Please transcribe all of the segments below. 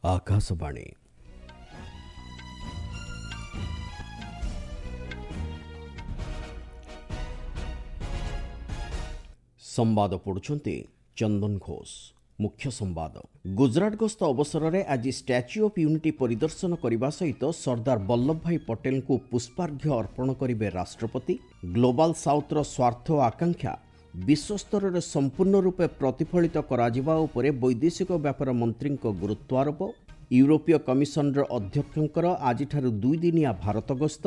ଆକାଶବାଣୀ। ସମ୍ବାଦ ପଢ଼ୁଛନ୍ତି ଚନ୍ଦନ ଘୋଷ। ମୁଖ୍ୟ ସମ୍ବାଦ। ଗୁଜରାଟ ଗସ୍ତ ଅବସରରେ ଆଜି ଷ୍ଟାଚ୍ୟୁ ଅଫ୍ ୟୁନିଟି ପରିଦର୍ଶନ କରିବା ସହିତ ସର୍ଦ୍ଦାର ବଲ୍ଲଭଭାଇ ପଟେଲଙ୍କୁ ପୁଷ୍ପାର୍ଘ୍ୟ ଅର୍ପଣ କରିବେ ରାଷ୍ଟ୍ରପତି। ଗ୍ଲୋବାଲ ସାଉଥ୍ର ସ୍ୱାର୍ଥ ଓ ଆକାଂକ୍ଷା ବିଶ୍ୱସ୍ତରରେ ସମ୍ପୂର୍ଣ୍ଣ ରୂପେ ପ୍ରତିଫଳିତ କରାଯିବା ଉପରେ ବୈଦେଶିକ ବ୍ୟାପାର ମନ୍ତ୍ରୀଙ୍କ ଗୁରୁତ୍ୱାରୋପ। ୟୁରୋପୀୟ କମିଶନର ଅଧ୍ୟକ୍ଷଙ୍କର ଆଜିଠାରୁ 2 ଦିନିଆ ଭାରତ ଗସ୍ତ।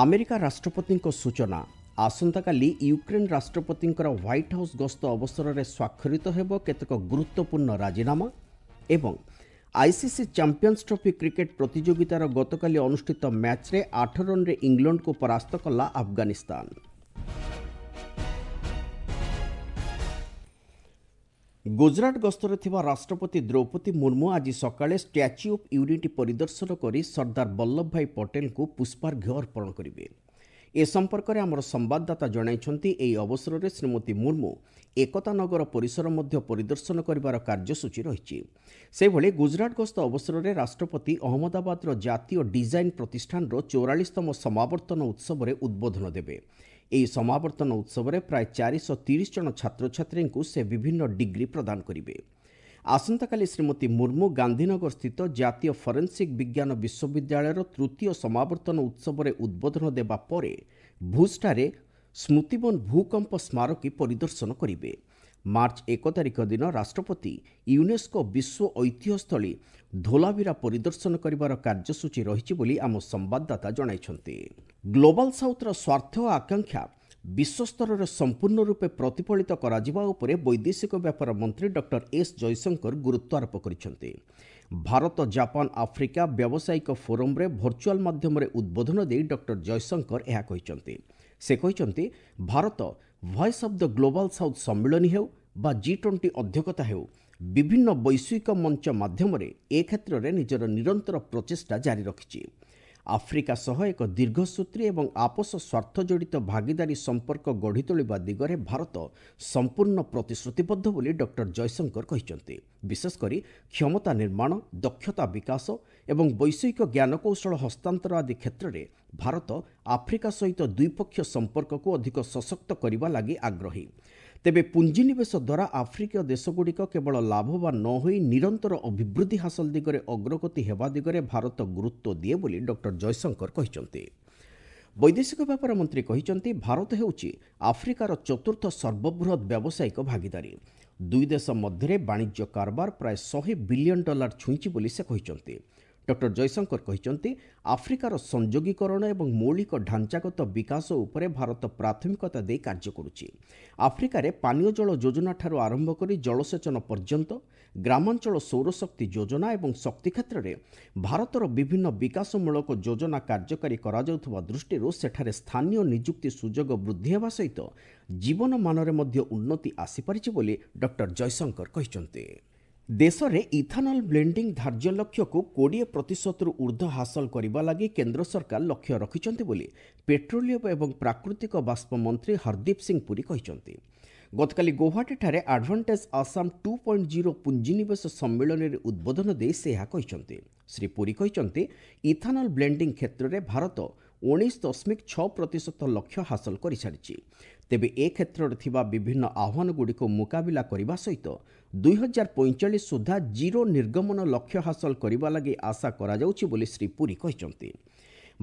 ଆମେରିକା ରାଷ୍ଟ୍ରପତିଙ୍କ ସୂଚନା, ଆସନ୍ତାକାଲି ୟୁକ୍ରେନ୍ ରାଷ୍ଟ୍ରପତିଙ୍କର ହ୍ୱାଇଟ୍ ହାଉସ୍ ଗସ୍ତ ଅବସରରେ ସ୍ୱାକ୍ଷରିତ ହେବ କେତେକ ଗୁରୁତ୍ୱପୂର୍ଣ୍ଣ ରାଜିନାମା। ଏବଂ ଆଇସିସି ଚାମ୍ପିୟନ୍ସ ଟ୍ରଫି କ୍ରିକେଟ୍ ପ୍ରତିଯୋଗିତାର ଗତକାଲି ଅନୁଷ୍ଠିତ ମ୍ୟାଚ୍ରେ 8 ରନ୍ରେ ଇଂଲଣ୍ଡକୁ ପରାସ୍ତ କଲା ଆଫଗାନିସ୍ତାନ। ଗୁଜରାଟ ଗସ୍ତରେ ଥିବା ରାଷ୍ଟ୍ରପତି ଦ୍ରୌପଦୀ ମୁର୍ମୁ ଆଜି ସକାଳେ ଷ୍ଟାଚ୍ୟୁ ଅଫ୍ ୟୁନିଟି ପରିଦର୍ଶନ କରି ସର୍ଦ୍ଦାର ବଲ୍ଲଭଭାଇ ପଟେଲଙ୍କୁ ପୁଷ୍ପାର୍ଘ୍ୟ ଅର୍ପଣ କରିବେ। ଏ ସମ୍ପର୍କରେ ଆମର ସମ୍ବାଦଦାତା ଜଣାଇଛନ୍ତି, ଏହି ଅବସରରେ ଶ୍ରୀମତୀ ମୁର୍ମୁ ଏକତା ନଗର ପରିସର ମଧ୍ୟ ପରିଦର୍ଶନ କରିବାର କାର୍ଯ୍ୟସୂଚୀ ରହିଛି। ସେହିଭଳି ଗୁଜରାଟ ଗସ୍ତ ଅବସରରେ ରାଷ୍ଟ୍ରପତି ଅହମ୍ମଦାବାଦର ଜାତୀୟ ଡିଜାଇନ୍ ପ୍ରତିଷ୍ଠାନର 44ତମ ସମାବର୍ତ୍ତନ ଉତ୍ସବରେ ଉଦ୍ବୋଧନ ଦେବେ। ଏହି ସମାବର୍ତ୍ତନ ଉତ୍ସବରେ ପ୍ରାୟ 430 ଜଣ ଛାତ୍ରଛାତ୍ରୀଙ୍କୁ ସେ ବିଭିନ୍ନ ଡିଗ୍ରୀ ପ୍ରଦାନ କରିବେ। ଆସନ୍ତାକାଲି ଶ୍ରୀମତୀ ମୁର୍ମୁ ଗାନ୍ଧୀନଗର ସ୍ଥିତ ଜାତୀୟ ଫରେନ୍ସିକ୍ ବିଜ୍ଞାନ ବିଶ୍ୱବିଦ୍ୟାଳୟର ତୃତୀୟ ସମାବର୍ତ୍ତନ ଉତ୍ସବରେ ଉଦ୍ବୋଧନ ଦେବା ପରେ ଭୁଜଠାରେ ସ୍ମୃତିବନ ଭୂକମ୍ପ ସ୍ମାରକୀ ପରିଦର୍ଶନ କରିବେ। ମାର୍ଚ୍ଚ 1 ତାରିଖ ଦିନ ରାଷ୍ଟ୍ରପତି ୟୁନେସ୍କୋ ବିଶ୍ୱ ଐତିହ୍ୟସ୍ଥଳୀ ଧୋଲାଭିରା ପରିଦର୍ଶନ କରିବାର କାର୍ଯ୍ୟସୂଚୀ ରହିଛି ବୋଲି ଆମ ସମ୍ବାଦଦାତା ଜଣାଇଛନ୍ତି। ଗ୍ଲୋବାଲ ସାଉଥ୍ର ସ୍ୱାର୍ଥ ଓ ଆକାଂକ୍ଷା ବିଶ୍ୱସ୍ତରରେ ସମ୍ପୂର୍ଣ୍ଣ ରୂପେ ପ୍ରତିଫଳିତ କରାଯିବା ଉପରେ ବୈଦେଶିକ ବ୍ୟାପାର ମନ୍ତ୍ରୀ ଡକ୍ଟର ଏସ୍ ଜୟଶଙ୍କର ଗୁରୁତ୍ୱାରୋପ କରିଛନ୍ତି। ଭାରତ ଜାପାନ ଆଫ୍ରିକା ବ୍ୟାବସାୟିକ ଫୋରମ୍ରେ ଭର୍ଚୁଆଲ ମାଧ୍ୟମରେ ଉଦ୍ବୋଧନ ଦେଇ ଡକ୍ଟର ଜୟଶଙ୍କର ଏହା କହିଛନ୍ତି। ସେ କହିଛନ୍ତି, Bharat Voice of the Global South ସମ୍ମିଳନୀ ହେଉ ବା ଜି-20 ଅଧ୍ୟକ୍ଷତା ହେଉ, ବିଭିନ୍ନ ବୈଶ୍ୱିକ ମଞ୍ଚ ମାଧ୍ୟମରେ ଏ କ୍ଷେତ୍ରରେ ନିଜର ନିରନ୍ତର ପ୍ରଚେଷ୍ଟା ଜାରି ରଖିଛି। ଆଫ୍ରିକା ସହ ଏକ ଦୀର୍ଘସୂତ୍ରୀ ଏବଂ ଆପୋଷ ସ୍ୱାର୍ଥ ଜଡ଼ିତ ଭାଗିଦାରୀ ସମ୍ପର୍କ ଗଢ଼ି ତୋଳିବା ଦିଗରେ ଭାରତ ସମ୍ପୂର୍ଣ୍ଣ ପ୍ରତିଶ୍ରୁତିବଦ୍ଧ ବୋଲି ଡକ୍ଟର ଜୟଶଙ୍କର କହିଛନ୍ତି। ବିଶେଷକରି କ୍ଷମତା ନିର୍ମାଣ, ଦକ୍ଷତା ବିକାଶ ଏବଂ ବୈଷୟିକ ଜ୍ଞାନକୌଶଳ ହସ୍ତାନ୍ତର ଆଦି କ୍ଷେତ୍ରରେ ଭାରତ ଆଫ୍ରିକା ସହିତ ଦ୍ୱିପକ୍ଷୀୟ ସମ୍ପର୍କକୁ ଅଧିକ ସଶକ୍ତ କରିବା ଲାଗି ଆଗ୍ରହୀ। ତେବେ ପୁଞ୍ଜିନିବେଶ ଦ୍ୱାରା ଆଫ୍ରିକୀୟ ଦେଶଗୁଡ଼ିକ କେବଳ ଲାଭବାନ ନ ହୋଇ ନିରନ୍ତର ଅଭିବୃଦ୍ଧି ହାସଲ ଦିଗରେ ଅଗ୍ରଗତି ହେବା ଦିଗରେ ଭାରତ ଗୁରୁତ୍ୱ ଦିଏ ବୋଲି ଡକ୍ଟର ଜୟଶଙ୍କର କହିଛନ୍ତି। ବୈଦେଶିକ ବ୍ୟାପାର ମନ୍ତ୍ରୀ କହିଛନ୍ତି, ଭାରତ ହେଉଛି ଆଫ୍ରିକାର ଚତୁର୍ଥ ସର୍ବବୃହତ୍ ବ୍ୟବସାୟିକ ଭାଗିଦାରୀ। ଦୁଇ ଦେଶ ମଧ୍ୟରେ ବାଣିଜ୍ୟ କାରବାର ପ୍ରାୟ 100 ବିଲିୟନ ଡଲାର ଛୁଇଁଛି ବୋଲି ସେ କହିଛନ୍ତି। ଡକ୍ଟର ଜୟଶଙ୍କର କହିଛନ୍ତି, ଆଫ୍ରିକାର ସଂଯୋଗୀକରଣ ଏବଂ ମୌଳିକ ଢାଞ୍ଚାଗତ ବିକାଶ ଉପରେ ଭାରତ ପ୍ରାଥମିକତା ଦେଇ କାର୍ଯ୍ୟ କରୁଛି। ଆଫ୍ରିକାରେ ପାନୀୟ ଜଳ ଯୋଜନାଠାରୁ ଆରମ୍ଭ କରି ଜଳସେଚନ ପର୍ଯ୍ୟନ୍ତ, ଗ୍ରାମାଞ୍ଚଳ ସୌରଶକ୍ତି ଯୋଜନା ଏବଂ ଶକ୍ତି କ୍ଷେତ୍ରରେ ଭାରତର ବିଭିନ୍ନ ବିକାଶମୂଳକ ଯୋଜନା କାର୍ଯ୍ୟକାରୀ କରାଯାଉଥିବା ଦୃଷ୍ଟିରୁ ସେଠାରେ ସ୍ଥାନୀୟ ନିଯୁକ୍ତି ସୁଯୋଗ ବୃଦ୍ଧି ହେବା ସହିତ ଜୀବନମାନରେ ମଧ୍ୟ ଉନ୍ନତି ଆସିପାରିଛି ବୋଲି ଡକ୍ଟର ଜୟଶଙ୍କର କହିଛନ୍ତି। ଦେଶରେ ଇଥାନଲ ବ୍ଲେଣ୍ଡିଂ ଧାର୍ଯ୍ୟ ଲକ୍ଷ୍ୟକୁ 20 ପ୍ରତିଶତରୁ ଉର୍ଦ୍ଧ୍ୱ ହାସଲ କରିବା ଲାଗି କେନ୍ଦ୍ର ସରକାର ଲକ୍ଷ୍ୟ ରଖିଛନ୍ତି ବୋଲି ପେଟ୍ରୋଲିୟମ ଏବଂ ପ୍ରାକୃତିକ ବାଷ୍ପ ମନ୍ତ୍ରୀ ହରଦୀପ ସିଂ ପୁରୀ କହିଛନ୍ତି। ଗତକାଲି ଗୌହାଟୀଠାରେ ଆଡଭାଣ୍ଟେଜ୍ ଆସାମ 2.0 ପୁଞ୍ଜିନିବେଶ ସମ୍ମିଳନୀରେ ଉଦ୍ବୋଧନ ଦେଇ ସେ ଏହା କହିଛନ୍ତି। ଶ୍ରୀ ପୁରୀ କହିଛନ୍ତି, ଇଥାନଲ ବ୍ଲେଣ୍ଡିଂ କ୍ଷେତ୍ରରେ ଭାରତ 19.6% ଲକ୍ଷ୍ୟ ହାସଲ କରିସାରିଛି। ତେବେ ଏ କ୍ଷେତ୍ରରେ ଥିବା ବିଭିନ୍ନ ଆହ୍ୱାନଗୁଡ଼ିକୁ ମୁକାବିଲା କରିବା ସହିତ 2045 ସୁଦ୍ଧା ଜିରୋ ନିର୍ଗମନ ଲକ୍ଷ୍ୟ ହାସଲ କରିବା ଲାଗି ଆଶା କରାଯାଉଛି ବୋଲି ଶ୍ରୀ ପୁରୀ କହିଛନ୍ତି।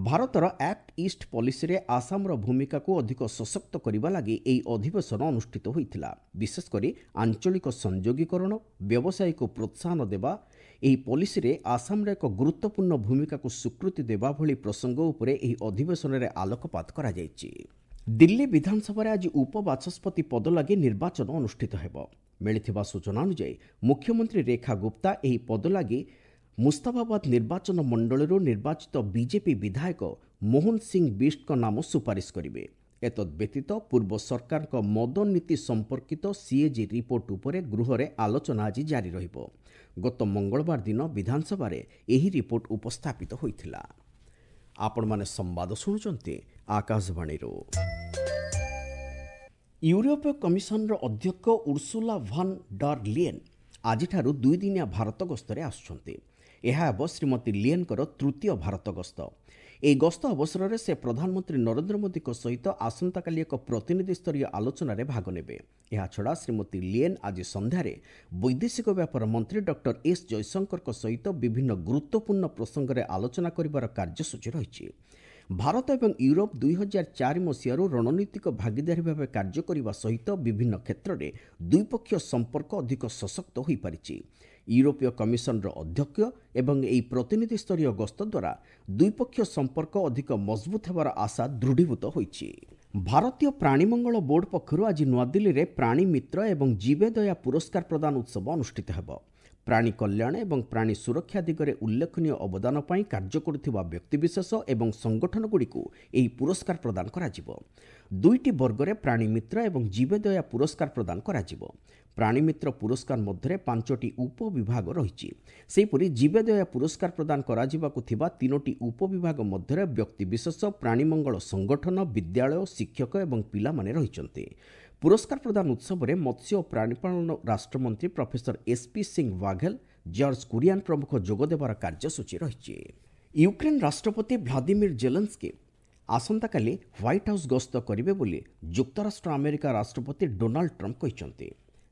ଭାରତର ଆକ୍ଟ ଇଷ୍ଟ ପଲିସିରେ ଆସାମର ଭୂମିକାକୁ ଅଧିକ ସଶକ୍ତ କରିବା ଲାଗି ଏହି ଅଧିବେଶନ ଅନୁଷ୍ଠିତ ହୋଇଥିଲା। ବିଶେଷକରି ଆଞ୍ଚଳିକ ସଂଯୋଗୀକରଣ, ବ୍ୟବସାୟକୁ ପ୍ରୋତ୍ସାହନ ଦେବା, ଏହି ପଲିସିରେ ଆସାମର ଏକ ଗୁରୁତ୍ୱପୂର୍ଣ୍ଣ ଭୂମିକାକୁ ସ୍ୱୀକୃତି ଦେବା ଭଳି ପ୍ରସଙ୍ଗ ଉପରେ ଏହି ଅଧିବେଶନରେ ଆଲୋକପାତ କରାଯାଇଛି। ଦିଲ୍ଲୀ ବିଧାନସଭାରେ ଆଜି ଉପବାଚସ୍ପତି ପଦ ଲାଗି ନିର୍ବାଚନ ଅନୁଷ୍ଠିତ ହେବ। ମିଳିଥିବା ସୂଚନା ଅନୁଯାୟୀ, ମୁଖ୍ୟମନ୍ତ୍ରୀ ରେଖା ଗୁପ୍ତା ଏହି ପଦ ଲାଗି ମୁସ୍ତାଫାବାଦ ନିର୍ବାଚନ ମଣ୍ଡଳୀରୁ ନିର୍ବାଚିତ ବିଜେପି ବିଧାୟକ ମୋହନ ସିଂ ବିଷ୍ଟଙ୍କ ନାମ ସୁପାରିଶ କରିବେ। ଏତଦ୍ ବ୍ୟତୀତ ପୂର୍ବ ସରକାରଙ୍କ ମଦ ନୀତି ସମ୍ପର୍କିତ ସିଏଜି ରିପୋର୍ଟ ଉପରେ ଗୃହରେ ଆଲୋଚନା ଆଜି ଜାରି ରହିବ। ଗତ ମଙ୍ଗଳବାର ଦିନ ବିଧାନସଭାରେ ଏହି ରିପୋର୍ଟ ଉପସ୍ଥାପିତ ହୋଇଥିଲା। ଆପଣମାନେ ସମ୍ବାଦ ଶୁଣୁଛନ୍ତି ଆକାଶବାଣୀରୁ। ୟୁରୋପୀୟ କମିଶନର ଅଧ୍ୟକ୍ଷ ଉର୍ସୁଲା ଭାନ୍ ଡର୍ ଲିଏନ୍ ଆଜିଠାରୁ 2 ଦିନିଆ ଭାରତ ଗସ୍ତରେ ଆସୁଛନ୍ତି। ଏହା ହେବ ଶ୍ରୀମତୀ ଲିଏନ୍ଙ୍କର ତୃତୀୟ ଭାରତ ଗସ୍ତ। ଏହି ଗସ୍ତ ଅବସରରେ ସେ ପ୍ରଧାନମନ୍ତ୍ରୀ ନରେନ୍ଦ୍ର ମୋଦିଙ୍କ ସହିତ ଆସନ୍ତାକାଲି ଏକ ପ୍ରତିନିଧିସ୍ତରୀୟ ଆଲୋଚନାରେ ଭାଗ ନେବେ। ଏହାଛଡ଼ା ଶ୍ରୀମତୀ ଲିଏନ୍ ଆଜି ସନ୍ଧ୍ୟାରେ ବୈଦେଶିକ ବ୍ୟାପାର ମନ୍ତ୍ରୀ ଡକ୍ଟର ଏସ୍ ଜୟଶଙ୍କରଙ୍କ ସହିତ ବିଭିନ୍ନ ଗୁରୁତ୍ୱପୂର୍ଣ୍ଣ ପ୍ରସଙ୍ଗରେ ଆଲୋଚନା କରିବାର କାର୍ଯ୍ୟସୂଚୀ ରହିଛି। ଭାରତ ଏବଂ ୟୁରୋପ 2004 ମସିହାରୁ ରଣନୀତିକ ଭାଗିଦାରୀ ଭାବେ କାର୍ଯ୍ୟ କରିବା ସହିତ ବିଭିନ୍ନ କ୍ଷେତ୍ରରେ ଦ୍ୱିପକ୍ଷୀୟ ସମ୍ପର୍କ ଅଧିକ ସଶକ୍ତ ହୋଇପାରିଛି। ୟୁରୋପୀୟ କମିଶନର ଅଧ୍ୟକ୍ଷ ଏବଂ ଏହି ପ୍ରତିନିଧିସ୍ତରୀୟ ଗସ୍ତ ଦ୍ୱାରା ଦ୍ୱିପକ୍ଷୀୟ ସମ୍ପର୍କ ଅଧିକ ମଜବୁତ ହେବାର ଆଶା ଦୃଢ଼ୀଭୂତ ହୋଇଛି। ଭାରତୀୟ ପ୍ରାଣୀମଙ୍ଗଳ ବୋର୍ଡ ପକ୍ଷରୁ ଆଜି ନୂଆଦିଲ୍ଲୀରେ ପ୍ରାଣୀ ମିତ୍ର ଏବଂ ଜୀବେଦୟା ପୁରସ୍କାର ପ୍ରଦାନ ଉତ୍ସବ ଅନୁଷ୍ଠିତ ହେବ। ପ୍ରାଣୀ କଲ୍ୟାଣ ଏବଂ ପ୍ରାଣୀ ସୁରକ୍ଷା ଦିଗରେ ଉଲ୍ଲେଖନୀୟ ଅବଦାନ ପାଇଁ କାର୍ଯ୍ୟ କରୁଥିବା ବ୍ୟକ୍ତିବିଶେଷ ଏବଂ ସଂଗଠନଗୁଡ଼ିକୁ ଏହି ପୁରସ୍କାର ପ୍ରଦାନ କରାଯିବ। ଦୁଇଟି ବର୍ଗରେ ପ୍ରାଣୀ ମିତ୍ର ଏବଂ ଜୀବେଦୟା ପୁରସ୍କାର ପ୍ରଦାନ କରାଯିବ। ପ୍ରାଣୀମିତ୍ର ପୁରସ୍କାର ମଧ୍ୟରେ ପାଞ୍ଚଟି ଉପବିଭାଗ ରହିଛି। ସେହିପରି ଜୀବେଦୟା ପୁରସ୍କାର ପ୍ରଦାନ କରାଯିବାକୁ ଥିବା ତିନୋଟି ଉପବିଭାଗ ମଧ୍ୟରେ ବ୍ୟକ୍ତିବିଶେଷ, ପ୍ରାଣୀମଙ୍ଗଳ ସଂଗଠନ, ବିଦ୍ୟାଳୟ, ଶିକ୍ଷକ ଏବଂ ପିଲାମାନେ ରହିଛନ୍ତି। ପୁରସ୍କାର ପ୍ରଦାନ ଉତ୍ସବରେ ମତ୍ସ୍ୟ ଓ ପ୍ରାଣୀପାଳନ ରାଷ୍ଟ୍ରମନ୍ତ୍ରୀ professor SP Singh Baghel, George Kurian ପ୍ରମୁଖ ଯୋଗଦେବାର କାର୍ଯ୍ୟସୂଚୀ ରହିଛି। ୟୁକ୍ରେନ୍ ରାଷ୍ଟ୍ରପତି ଭ୍ଲାଦିମିର ଜେଲେନ୍ସ୍କି ଆସନ୍ତାକାଲି ହ୍ୱାଇଟ୍ ହାଉସ୍ ଗସ୍ତ କରିବେ ବୋଲି ଯୁକ୍ତରାଷ୍ଟ୍ର ଆମେରିକା ରାଷ୍ଟ୍ରପତି ଡୋନାଲ୍ଡ ଟ୍ରମ୍ପ କହିଛନ୍ତି।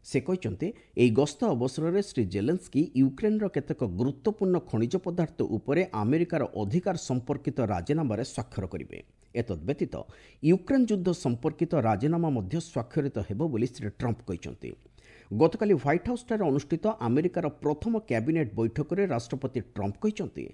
ସେ କହିଛନ୍ତି, ଏହି ଗସ୍ତ ଅବସରରେ ଶ୍ରୀ ଜେଲେନ୍ସ୍କି ୟୁକ୍ରେନ୍ର କେତେକ ଗୁରୁତ୍ୱପୂର୍ଣ୍ଣ ଖଣିଜ ପଦାର୍ଥ ଉପରେ ଆମେରିକାର ଅଧିକାର ସମ୍ପର୍କିତ ରାଜିନାମାରେ ସ୍ୱାକ୍ଷର କରିବେ। ଏତଦ୍ବ୍ୟତୀତ ୟୁକ୍ରେନ୍ ଯୁଦ୍ଧ ସମ୍ପର୍କିତ ରାଜିନାମା ମଧ୍ୟ ସ୍ୱାକ୍ଷରିତ ହେବ ବୋଲି ଶ୍ରୀ ଟ୍ରମ୍ପ କହିଛନ୍ତି। ଗତକାଲି ହ୍ୱାଇଟ୍ ହାଉସ୍ଠାରେ ଅନୁଷ୍ଠିତ ଆମେରିକାର ପ୍ରଥମ କ୍ୟାବିନେଟ୍ ବୈଠକରେ ରାଷ୍ଟ୍ରପତି ଟ୍ରମ୍ପ କହିଛନ୍ତି,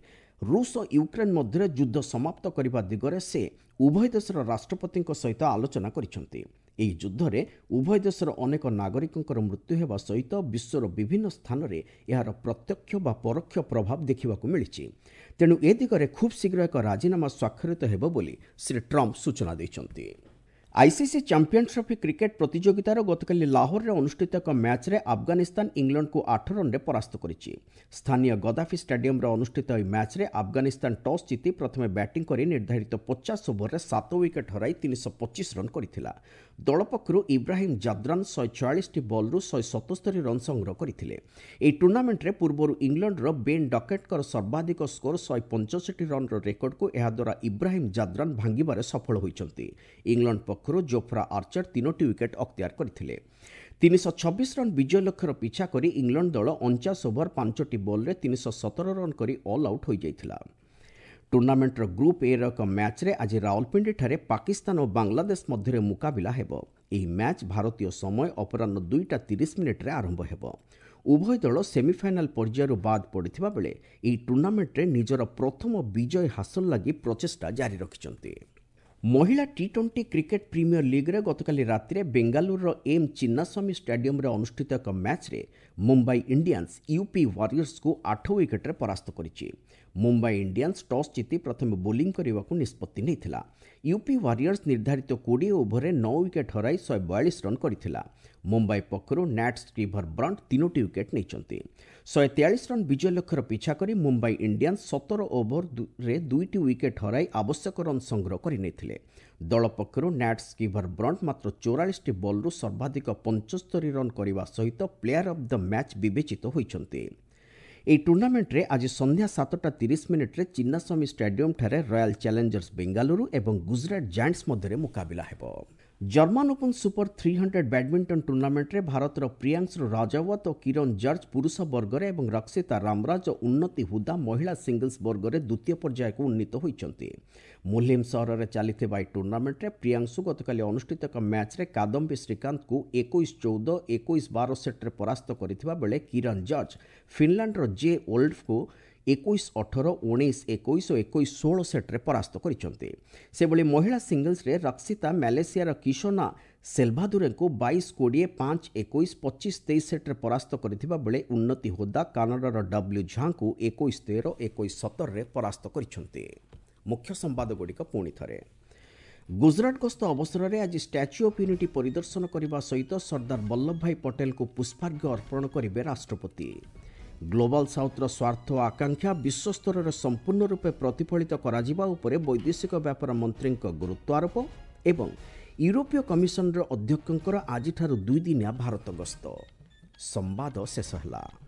ରୁଷ ଓ ୟୁକ୍ରେନ୍ ମଧ୍ୟରେ ଯୁଦ୍ଧ ସମାପ୍ତ କରିବା ଦିଗରେ ସେ ଉଭୟ ଦେଶର ରାଷ୍ଟ୍ରପତିଙ୍କ ସହିତ ଆଲୋଚନା କରିଛନ୍ତି। ଏହି ଯୁଦ୍ଧରେ ଉଭୟ ଦେଶର ଅନେକ ନାଗରିକଙ୍କର ମୃତ୍ୟୁ ହେବା ସହିତ ବିଶ୍ୱର ବିଭିନ୍ନ ସ୍ଥାନରେ ଏହାର ପ୍ରତ୍ୟକ୍ଷ ବା ପରୋକ୍ଷ ପ୍ରଭାବ ଦେଖିବାକୁ ମିଳିଛି। ତେଣୁ ଏ ଦିଗରେ ଖୁବ୍ ଶୀଘ୍ର ଏକ ରାଜିନାମା ସ୍ୱାକ୍ଷରିତ ହେବ ବୋଲି ଶ୍ରୀ ଟ୍ରମ୍ପ ସୂଚନା ଦେଇଛନ୍ତି। ଆଇସିସି ଚାମ୍ପିୟନ୍ସ ଟ୍ରଫି କ୍ରିକେଟ୍ ପ୍ରତିଯୋଗିତାର ଗତକାଲି ଲାହୋରରେ ଅନୁଷ୍ଠିତ ଏକ ମ୍ୟାଚ୍ରେ ଆଫଗାନିସ୍ତାନ ଇଂଲଣ୍ଡକୁ 8 ରନ୍ରେ ପରାସ୍ତ କରିଛି। ସ୍ଥାନୀୟ ଗଦାଫି ଷ୍ଟାଡିୟମରେ ଅନୁଷ୍ଠିତ ଏହି ମ୍ୟାଚ୍ରେ ଆଫଗାନିସ୍ତାନ ଟସ୍ ଜିତି ପ୍ରଥମେ ବ୍ୟାଟିଂ କରି ନିର୍ଦ୍ଧାରିତ 50 ଓଭରରେ 7 ୱିକେଟ୍ ହରାଇ 325 ରନ୍ କରିଥିଲା। ଦଳ ପକ୍ଷରୁ ଇବ୍ରାହିମ ଜାଦ୍ରାନ 146ଟି ବଲ୍ରୁ 177 ରନ୍ ସଂଗ୍ରହ କରିଥିଲେ। ଏହି ଟୁର୍ଣ୍ଣାମେଣ୍ଟରେ ପୂର୍ବରୁ ଇଂଲଣ୍ଡର ବେନ୍ ଡକେଟ୍ଙ୍କର ସର୍ବାଧିକ ସ୍କୋର 165 ରନ୍ର ରେକର୍ଡକୁ ଏହାଦ୍ୱାରା ଇବ୍ରାହିମ ଜାଦ୍ରାନ ଭାଙ୍ଗିବାରେ ସଫଳ ହୋଇଛନ୍ତି। ଇଂଲଣ୍ଡ ପକ୍ଷରୁ ଜୋଫ୍ରା ଆର୍ଚର ତିନୋଟି ୱିକେଟ୍ ଅକ୍ତିଆର କରିଥିଲେ। 326 ରନ୍ ବିଜୟ ଲକ୍ଷ୍ୟର ପିଛା କରି ଇଂଲଣ୍ଡ ଦଳ 49 ଓଭର 5ଟି ବଲ୍ରେ 317 ରନ୍ କରି ଅଲ୍ ଆଉଟ୍ ହୋଇଯାଇଥିଲା। ଟୁର୍ଣ୍ଣାମେଣ୍ଟର ଗ୍ରୁପ୍ ଏର ଏକ ମ୍ୟାଚ୍ରେ ଆଜି ରାୱଲପିଣ୍ଡିଠାରେ ପାକିସ୍ତାନ ଓ ବାଂଲାଦେଶ ମଧ୍ୟରେ ମୁକାବିଲା ହେବ। ଏହି ମ୍ୟାଚ୍ ଭାରତୀୟ ସମୟ ଅପରାହ୍ନ 2ଟା 30 ମିନିଟ୍ରେ ଆରମ୍ଭ ହେବ। ଉଭୟ ଦଳ ସେମିଫାଇନାଲ ପର୍ଯ୍ୟାୟରୁ ବାଦ୍ ପଡ଼ିଥିବା ବେଳେ ଏହି ଟୁର୍ଣ୍ଣାମେଣ୍ଟରେ ନିଜର ପ୍ରଥମ ବିଜୟ ହାସଲ ଲାଗି ପ୍ରଚେଷ୍ଟା ଜାରି ରଖିଛନ୍ତି। ମହିଳା ଟି-20 କ୍ରିକେଟ୍ ପ୍ରିମିୟର ଲିଗ୍ରେ ଗତକାଲି ରାତିରେ ବେଙ୍ଗାଲୁରୁର ଏମ୍ ଚିନ୍ନାସ୍ୱାମୀ ଷ୍ଟାଡିୟମରେ ଅନୁଷ୍ଠିତ ଏକ ମ୍ୟାଚ୍ରେ ମୁମ୍ବାଇ ଇଣ୍ଡିଆନ୍ସ ୟୁପି ୱାରିୟର୍ସକୁ 8 ୱିକେଟ୍ରେ ପରାସ୍ତ କରିଛି। ମୁମ୍ବାଇ ଇଣ୍ଡିଆନ୍ସ ଟସ୍ ଜିତି ପ୍ରଥମେ ବୋଲିଂ କରିବାକୁ ନିଷ୍ପତ୍ତି ନେଇଥିଲା। ୟୁପି ୱାରିୟର୍ସ ନିର୍ଦ୍ଧାରିତ 20 ଓଭରରେ 9 ୱିକେଟ୍ ହରାଇ 142 ରନ୍ କରିଥିଲା। ମୁମ୍ବାଇ ପକ୍ଷରୁ ନ୍ୟାଟ୍ ସ୍କ୍ରିଭର ବ୍ରଣ୍ଟ ତିନୋଟି ୱିକେଟ୍ ନେଇଛନ୍ତି। 143 ରନ୍ ବିଜୟ ଲକ୍ଷ୍ୟର ପିଛା କରି ମୁମ୍ବାଇ ଇଣ୍ଡିଆନ୍ସ 17 ଓଭରରେ ଦୁଇଟି ୱିକେଟ୍ ହରାଇ ଆବଶ୍ୟକ ରନ୍ ସଂଗ୍ରହ କରିନେଇଥିଲେ। ଦଳ ପକ୍ଷରୁ ନ୍ୟାଟ୍ ସ୍କିଭର ବ୍ରଣ୍ଟ ମାତ୍ର 44ଟି ବଲ୍ରୁ ସର୍ବାଧିକ 75 ରନ୍ କରିବା ସହିତ ପ୍ଲେୟାର ଅଫ୍ the match ବିବେଚିତ ହୋଇଛନ୍ତି। ଏହି ଟୁର୍ଣ୍ଣାମେଣ୍ଟରେ ଆଜି ସନ୍ଧ୍ୟା 7ଟା 30 ମିନିଟ୍ରେ ଚିନ୍ନାସ୍ୱାମୀ ଷ୍ଟାଡିୟମଠାରେ ରୟାଲ ଚ୍ୟାଲେଞ୍ଜର୍ସ ବେଙ୍ଗାଲୁରୁ ଏବଂ ଗୁଜରାଟ ଜାଏଣ୍ଟସ୍ ମଧ୍ୟରେ ମୁକାବିଲା ହେବ। ଜର୍ମାନ ଓପନ୍ ସୁପର 300 ବ୍ୟାଡମିଣ୍ଟନ ଟୁର୍ଣ୍ଣାମେଣ୍ଟରେ ଭାରତର ପ୍ରିୟାଂଶୁ ରାଜାୱତ ଓ କିରଣ ଜର୍ଜ ପୁରୁଷ ବର୍ଗରେ ଏବଂ ରକ୍ଷିତା ରାମରାଜ ଓ ଉନ୍ନତି ହୁଦା ମହିଳା ସିଙ୍ଗଲ୍ସ ବର୍ଗରେ ଦ୍ୱିତୀୟ ପର୍ଯ୍ୟାୟକୁ ଉନ୍ନୀତ ହୋଇଛନ୍ତି। ମୁଲହିମ୍ ସହରରେ ଚାଲିଥିବା ଏହି ଟୁର୍ଣ୍ଣାମେଣ୍ଟରେ ପ୍ରିୟାଂଶୁ ଗତକାଲି ଅନୁଷ୍ଠିତ ଏକ ମ୍ୟାଚ୍ରେ କାଦମ୍ବି ଶ୍ରୀକାନ୍ତଙ୍କୁ 21-14, 21-12 ସେଟ୍ରେ ପରାସ୍ତ କରିଥିବା ବେଳେ କିରଣ ଜର୍ଜ ଫିନଲାଣ୍ଡର ଜେ ଓଲ୍ଡଙ୍କୁ 21-18, 19-21 ଓ 21-16 ସେଟ୍ରେ ପରାସ୍ତ କରିଛନ୍ତି। ସେଭଳି ମହିଳା ସିଙ୍ଗଲ୍ସରେ ରକ୍ଷିତା ମ୍ୟାଲେସିଆର କିଶୋନା ସେଲଭାଦୁରେଙ୍କୁ 22-20, 5-21, 25-23 ସେଟ୍ରେ ପରାସ୍ତ କରିଥିବା ବେଳେ ଉନ୍ନତି ହୋଦା କାନାଡାର ଡବ୍ଲ୍ୟୁ ଝାଙ୍କୁ 21-13, 21-17ରେ ପରାସ୍ତ କରିଛନ୍ତି। ମୁଖ୍ୟ ସମ୍ବାଦଗୁଡ଼ିକ ପୁଣି ଥରେ। ଗୁଜରାଟ ଗସ୍ତ ଅବସରରେ ଆଜି ଷ୍ଟାଚ୍ୟୁ ଅଫ୍ ୟୁନିଟି ପରିଦର୍ଶନ କରିବା ସହିତ ସର୍ଦ୍ଦାର ବଲ୍ଲଭଭାଇ ପଟେଲଙ୍କୁ ପୁଷ୍ପାର୍ଘ୍ୟ ଅର୍ପଣ କରିବେ ରାଷ୍ଟ୍ରପତି। ଗ୍ଲୋବାଲ ସାଉଥ୍ର ସ୍ୱାର୍ଥ ଓ ଆକାଂକ୍ଷା ବିଶ୍ୱସ୍ତରରେ ସମ୍ପୂର୍ଣ୍ଣ ରୂପେ ପ୍ରତିଫଳିତ କରାଯିବା ଉପରେ ବୈଦେଶିକ ବ୍ୟାପାର ମନ୍ତ୍ରୀଙ୍କ ଗୁରୁତ୍ୱ ଆରୋପ ଏବଂ ୟୁରୋପୀୟ କମିଶନର ଅଧ୍ୟକ୍ଷଙ୍କର ଆଜିଠାରୁ 2 ଦିନିଆ ଭାରତ ଗସ୍ତ। ସମ୍ବାଦ ଶେଷ ହେଲା।